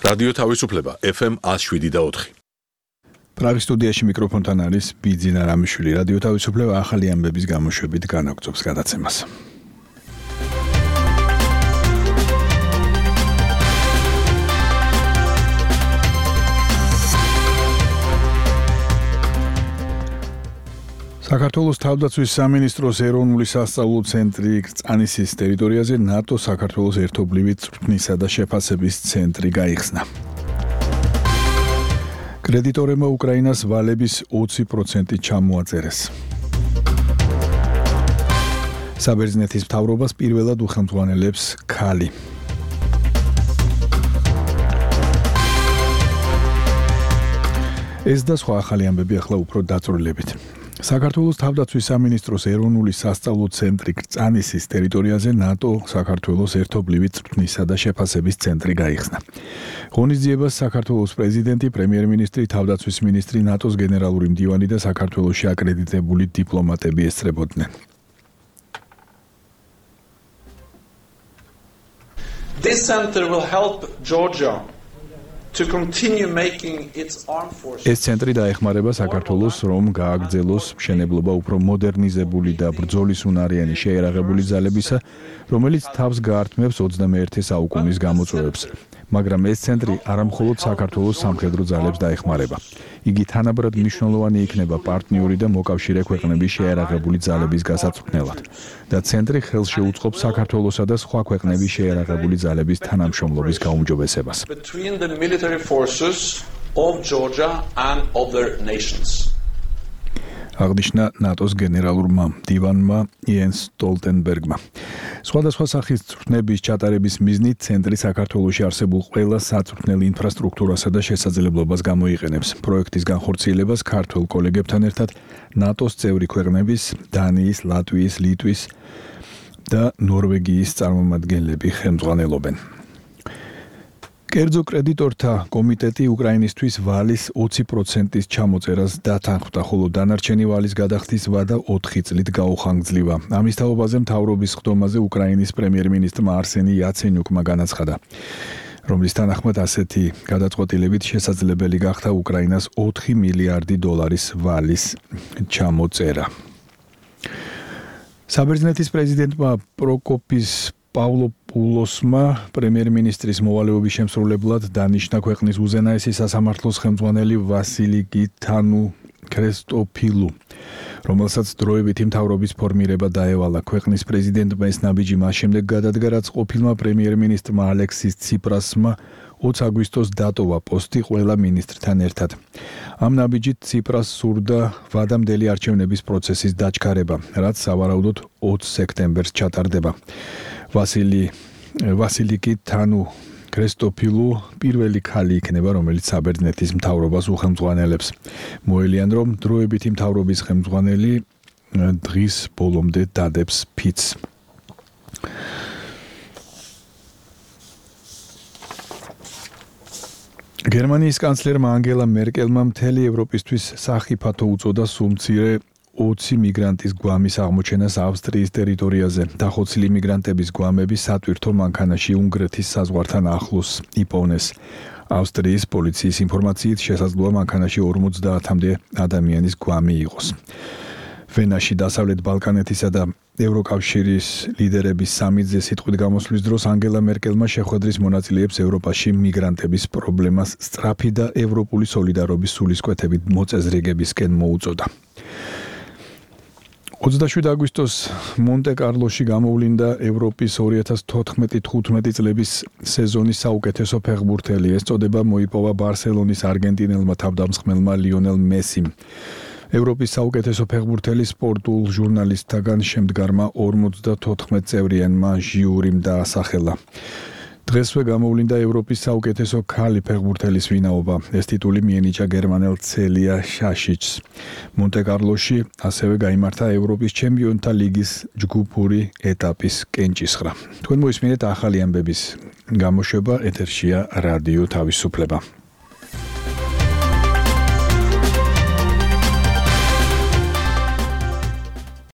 რადიო თავისუფლება FM 107.4. პრაღის სტუდიაში მიკროფონთან არის ბიძინა რამიშვილი. რადიო თავისუფლება ახალი ამბების გამოშვებით განაგრძობს გადაცემას. საქართველოს თავდაცვის სამინისტროს ეროვნული სასწავლო ცენტრი კრწანისის ტერიტორიაზე ნატო საქართველოს ერთობლივი წვრთნისა და შეფასების ცენტრი გაიხსნა. კრედიტორებმა უკრაინას ვალების 20% ჩამოაწერეს. საბერძნეთის მთავრობას პირველად უხელმძღვანელებს ქალი. ეს და სხვა ახალი ამბები ახლა უფრო დაწვრილებით. საქართველოს თავდაცვის სამინისტროს ეროვნული სასწავლო ცენტრი კრწანისის ტერიტორიაზე ნატო საქართველოს ერთობლივი წვრთნისა და შეფასების ცენტრი გაიხსნა. ღონისძიებას საქართველოს პრეზიდენტი, პრემიერ-მინისტრი, თავდაცვის მინისტრი, ნატოს გენერალური მდივანი და საქართველოში აკრედიტებული დიპლომატები ესწრებოდნენ. This center will help Georgia to continue making its armed forces. ეს ცენტრი დაეხმარება საქართველოს, რომ გააგრძელოს მშენებლობა უფრო მოდერნიზებული და ბრძოლისუნარიანი შეიარაღებული ძალებისა, რომელიც თავს გაართმევს 21 საუკუნის გამოწვევებს. მაგრამ ეს ცენტრი არამხოლოდ საქართველოს სამხედრო ძალებს დაეხმარება. იგი თანაბრად მნიშვნელოვანი იქნება პარტნიორი და მოკავშირე ქვეყნების შეიარაღებული ძალების გასაწვრთნელად და ცენტრი ხელს შეუწყობს საქართველოსა და სხვა ქვეყნების შეიარაღებული ძალების თანამშრომლობის გაუმჯობესებას. Between the military forces of Georgia and other nations. აღნიშნა ნატოს გენერალურმა მდივანმა იენს სტოლტენბერგმა. სხვადასხვა სახის წვრთნების ჩატარების მიზნით ცენტრი საქართველოში არსებულ ყველა საწვრთნელ ინფრასტრუქტურასა და შესაძლებლობას გამოიყენებს. პროექტის განხორციელებას ქართველ კოლეგებთან ერთად ნატოს წევრი ქვეყნების, დანიის, ლატვიის, ლიტვის და ნორვეგიის წარმომადგენლები ხელმძღვანელობენ. კერძო კრედიტორთა კომიტეტი უკრაინისთვის ვალის 20%-ის ჩამოწერას დათანხმდა, ხოლო დანარჩენი ვალის გადახდის ვადა 4 წლით გაუხანგძლივა. ამის თაობაზე მთავრობის ხდომაზე უკრაინის პრემიერ-მინისტრმა არსენი იაცენიუკმა განაცხადა, რომლის თანახმად ასეთი გადაწყვეტილებით შესაძლებელი გახდა უკრაინას 4 მილიარდი დოლარის ვალის ჩამოწერა. საბერძნეთის პრეზიდენტმა პროკოპის პავლოპულოსმა პრემიერ-მინისტრის მოვალეობის შემსრულებლად დანიშნა ქვეყნის უზენაესი სასამართლოს ხელმძღვანელი ვასილი გითანუ ქრესტოფილუ, რომელსაც დროებითი მთავრობის ფორმირება დაევალა. ქვეყნის პრეზიდენტმა ეს ნაბიჯი მას შემდეგ გადადგა, რაც ყოფილმა პრემიერ-მინისტრმა ალექსის ციპრასმა 20 აგვისტოს დატოვა პოსტი ყველა მინისტრთან ერთად. ამ ნაბიჯით ციპრას სურდა ვადამდელი არჩევნების პროცესის დაჩქარება, რაც სავარაუდოდ 20 სექტემბერს ჩატარდება. ვასილი გითანუ ქრესტოფილუ პირველი ქალი იქნება, რომელიც საბერძნეთის მთავრობას უხელმძღვანელებს. მოელიან, რომ დროებითი მთავრობის ხელმძღვანელი დღის ბოლომდე დადებს ფიცს. გერმანიის კანცლერმა ანგელა მერკელმა მთელი ევროპისთვის სახიფათო უწოდა სულმცირე 20 მიგრანტის გვამის აღმოჩენას ავსტრიის ტერიტორიაზე. დახოცილი მიგრანტების გვამები სატვირთო მანქანაში უნგრეთის საზღვართან ახლოს იპოვნეს. ავსტრიის პოლიციის ინფორმაციით შესაძლოა მანქანაში 50-მდე ადამიანის გვამი იყოს. ვენაში დასავლეთ ბალკანეთისა და ევროკავშირის ლიდერების სამიტზე სიტყვით გამოსვლის დროს ანგელა მერკელმა შეხვედრის მონაწილეებს ევროპაში მიგრანტების პრობლემას სწრაფი და ევროპული სოლიდარობის სულისკვეთებით მოწესრიგებისკენ მოუწოდა. 27 აგვისტოს მონტე-კარლოში გამოვლინდა ევროპის 2014-15 წლების სეზონის საუკეთესო ფეხბურთელი. ეს წოდება მოიპოვა ბარსელონის არგენტინელმა თავდამსხმელმა ლიონელ მესიმ. ევროპის საუკეთესო ფეხბურთელი სპორტულ ჟურნალისტთაგან შემდგარმა 54 წევრიანმა ჟიურიმ დაასახელა. დღესვე გამოვლინდა ევროპის საუკეთესო ქალი ფეხბურთელის ვინაობა. ეს ტიტული მიენიჭა გერმანელ ცელია შაშიჩს. მონტე-კარლოში ასევე გაიმართა ევროპის ჩემპიონთა ლიგის ჯგუფური ეტაპის კენჭისხრა. თქვენ მოისმინეთ ახალი ამბების გამოშვება, ეთერშია რადიო თავისუფლება.